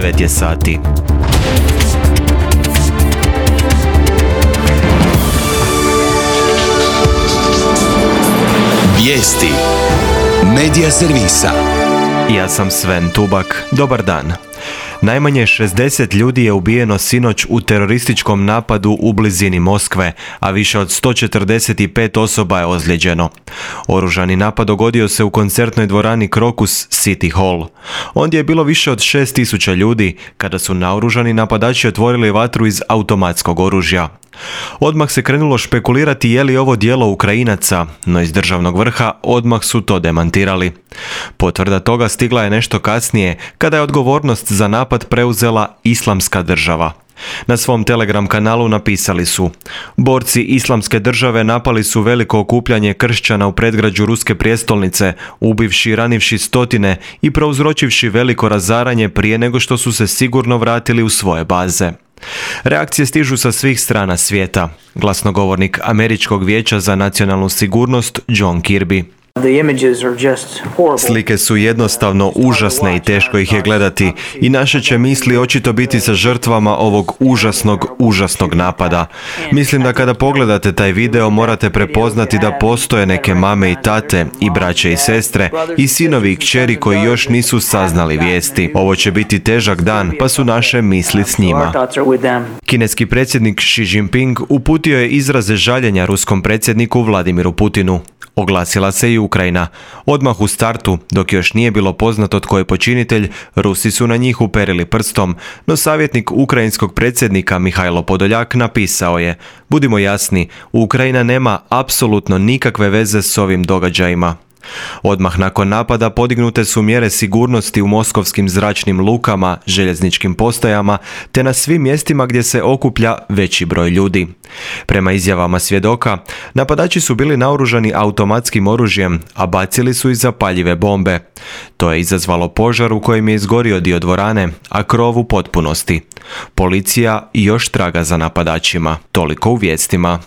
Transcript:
9 je sati. Vijesti Medija servisa. Ja sam Sven Tubak. Dobar dan. Najmanje 60 ljudi je ubijeno sinoć u terorističkom napadu u blizini Moskve, a više od 145 osoba je ozlijeđeno. Oružani napad dogodio se u koncertnoj dvorani Crocus City Hall. Ondje je bilo više od 6000 ljudi kada su naoružani napadači otvorili vatru iz automatskog oružja. Odmah se krenulo špekulirati je li ovo djelo Ukrajinaca, no iz državnog vrha odmah su to demantirali. Potvrda toga stigla je nešto kasnije, kada je odgovornost za napad preuzela Islamska država. Na svom Telegram kanalu napisali su: borci Islamske države napali su veliko okupljanje kršćana u predgrađu ruske prijestolnice, ubivši i ranivši stotine i prouzročivši veliko razaranje prije nego što su se sigurno vratili u svoje baze. Reakcije stižu sa svih strana svijeta. Glasnogovornik Američkog vijeća za nacionalnu sigurnost John Kirby: slike su jednostavno užasne i teško ih je gledati i naše će misli očito biti sa žrtvama ovog užasnog napada. Mislim da kada pogledate taj video morate prepoznati da postoje neke mame i tate i braće i sestre i sinovi i kćeri koji još nisu saznali vijesti. Ovo će biti težak dan, pa su naše misli s njima. Kineski predsjednik Xi Jinping uputio je izraze žaljenja ruskom predsjedniku Vladimiru Putinu. Oglasila se i Ukrajina. Odmah u startu, dok još nije bilo poznato tko je počinitelj, Rusi su na njih uperili prstom, no savjetnik ukrajinskog predsjednika Mihajlo Podoljak napisao je: budimo jasni, Ukrajina nema apsolutno nikakve veze s ovim događajima. Odmah nakon napada podignute su mjere sigurnosti u moskovskim zračnim lukama, željezničkim postajama te na svim mjestima gdje se okuplja veći broj ljudi. Prema izjavama svjedoka, napadači su bili naoružani automatskim oružjem, a bacili su i zapaljive bombe. To je izazvalo požar u kojem je izgorio dio dvorane, a krov u potpunosti. Policija još traga za napadačima. Toliko u vijestima.